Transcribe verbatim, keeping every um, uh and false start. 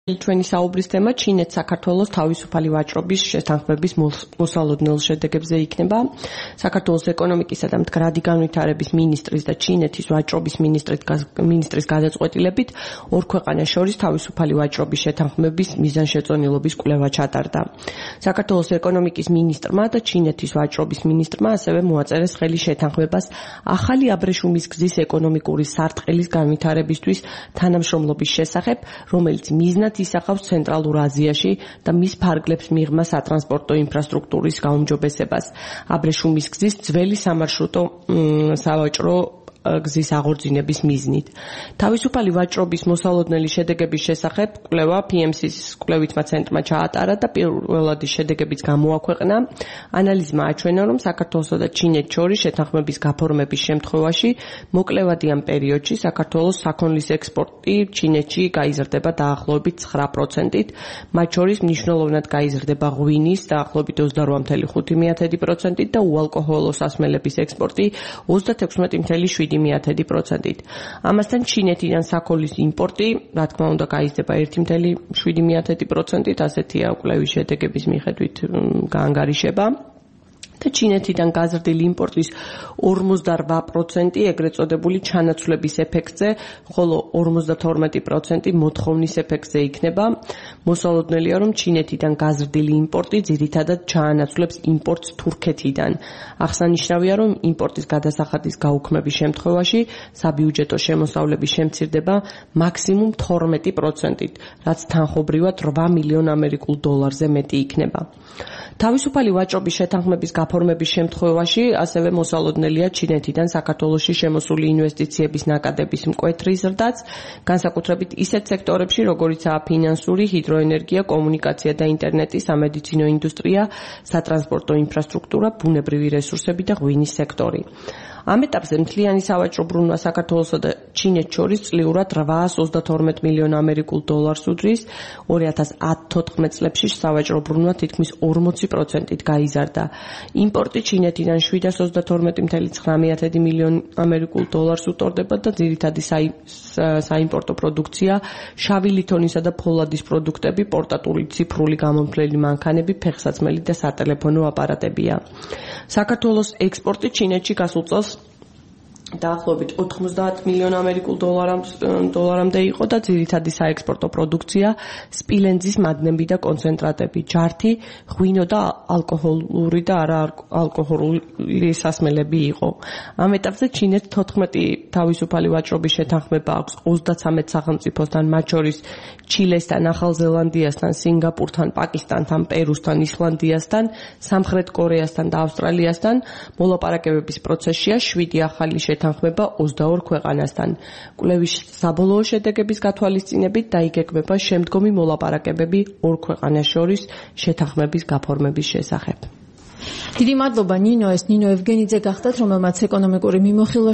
ჩვენი საუბრის თემა ჩინეთ საქართველოს თავისუფალი ვაჭრობის შეთანხმების მოსალოდნელ შედეგებზე იქნება. საქართველოს ეკონომიკისა და მდგრადი განვითარების მინისტრის და ჩინეთის ვაჭრობის მინისტრის გადაწყვეტილებით ორ ქვეყანას შორის თავისუფალი ვაჭრობის შეთანხმების მიზანშეწონილობის კვლევა ჩატარდა. საქართველოს ეკონომიკის მინისტრმა და ჩინეთის ვაჭრობის მინისტრმა ასევე მოაწერეს ხელი შეთანხმებას ახალი აბრეშუმის გზის ეკონომიკური სარტყელის განვითარებისთვის თანამშრომლობის შესახებ, რომელიც მიზნად ისახავს ცენტრალურ აზიაში და მის ფარგლებს მიღმა სატრანსპორტო ინფრასტრუქტურის გაუმჯობესებას. აბრეშუმის გზის ძველი სამარშრუტო სავაჭრო გზის აღორძინების მიზნით. თავისუფალი ვაჭრობის მოსალოდნელი შედეგების შესახებ კვლევა პი ემ სის კვლევითმა ცენტრმა ჩაატარა და პირველადი შედეგებიც გამოაქვეყნა. ანალიზმა აჩვენა, რომ საქართველოსა და ჩინეთს შორის შეთანხმების გაფორმების შემთხვევაში მოკლევადიან პერიოდში საქართველოს საქონლის ექსპორტი ჩინეთში გაიზრდება დაახლოებით ცხრა პროცენტით, მათ შორის მნიშვნელოვნად გაიზრდება ღვინის დაახლოებით ოცდარვა წუთი ხუთი პროცენტით და უალკოჰოლო სასმელების ექსპორტი ოცდათექვსმეტი წუთი შვიდი პროცენტით. ამასთან ჩინეთიდან საქონლის იმპორტი, რა თქმა უნდა, გაიზრდება ერთი წუთი შვიდი პროცენტით, ასეთია კვლევის შედეგების მიხედვით გაანგარიშება. და ჩინეთიდან გაზრდილი იმპორტის ორმოცდარვა პროცენტი ეგრეთ წოდებული ჩანაცვლების ეფექტზე, ხოლო ორმოცდათორმეტი პროცენტი მოთხოვნის ეფექტზე იქნება. მოსალოდნელია, რომ ჩინეთიდან გაზრდილი იმპორტი ძირითადად ჩაანაცვლებს იმპორტს თურქეთიდან. აღსანიშნავია, რომ იმპორტის გადასახადის გაუქმების შემთხვევაში საბიუჯეტო შემოსავლების შემცირდება მაქსიმუმ თორმეტი პროცენტით, რაც თანხობრივად რვა მილიონ ამერიკულ დოლარზე მეტი იქნება. თავისუფალი ვაჭრობის შეთანხმების გაფორმების შემთხვევაში ასევე მოსალოდნელია ჩინეთიდან საქართველოში შემოსული ინვესტიციების ნაკადების მკვეთრი ზრდაც, განსაკუთრებით ისეთ სექტორებში, როგორიცაა ფინანსური, ჰიდროენერგია, კომუნიკაცია და ინტერნეტი, სამედიცინო ინდუსტრია, სატრანსპორტო ინფრასტრუქტურა, ბუნებრივი რესურსები და ღვინის სექტორი. ამ ეტაპზე მთლიანი სავაჭრო ბრუნვა საქართველოსა და ჩინეთს შორის წლიურად რვაას ოცდათორმეტ მილიონ ამერიკულ დოლარს უდრის. ორი ათას ათოთხმეტ წლებში სავაჭრო ბრუნვა თითქმის ორმოცი პროცენტით გაიზარდა. იმპორტი ჩინეთიდან შვიდას ოცდათორმეტი წუთი ცხრა მილიონ ამერიკულ დოლარს უწოდებოდა და ძირითადი საიმპორტო პროდუქცია შავი ლითონისა და ფოლადის პროდუქტები, პორტატული ციფრული გამომთვლელი მანქანები, ფეხსაცმელი და სატელეფონო აპარატებია. საქართველოს ექსპორტი ჩინეთში გასულ წელს დაახლოებით ოთხმოცდაათ მილიონ ამერიკულ დოლარამდე იყო და ძირითადი საექსპორტო პროდუქცია სპილენძის მადნები და კონცენტრატები, ჯართი, ღვინო და ალკოჰოლური და არაალკოჰოლური სასმელები იყო. ამ ეტაპზე ჩინეთს თოთხმეტი თავისუფალი ვაჭრობის შეთანხმება აქვს ოცდაცამეტ სახელმწიფოსთან, მათ შორის ჩილესთან, ახალ ზელანდიასთან, სინგაპურთან, პაკისტანთან, პერუსთან, ისლანდიასთან, სამხრეთ კორეასთან და ავსტრალიასთან. მოლაპარაკებების პროცესშია შვიდი ახალი შეთანხმება ოცდაორ ქვეყანასთან. კვლევის საბოლოო შედეგების გათვალისწინებით დაიგეგმება შემდგომი მოლაპარაკებები ორ ქვეყანას შორის შეთანხმების გაფორმების შესახებ. დიდი მადლობა ნინო, ეს ნინო ევგენიძე გახდათ, რომელმაც ეკონომიკური მიმოხილვა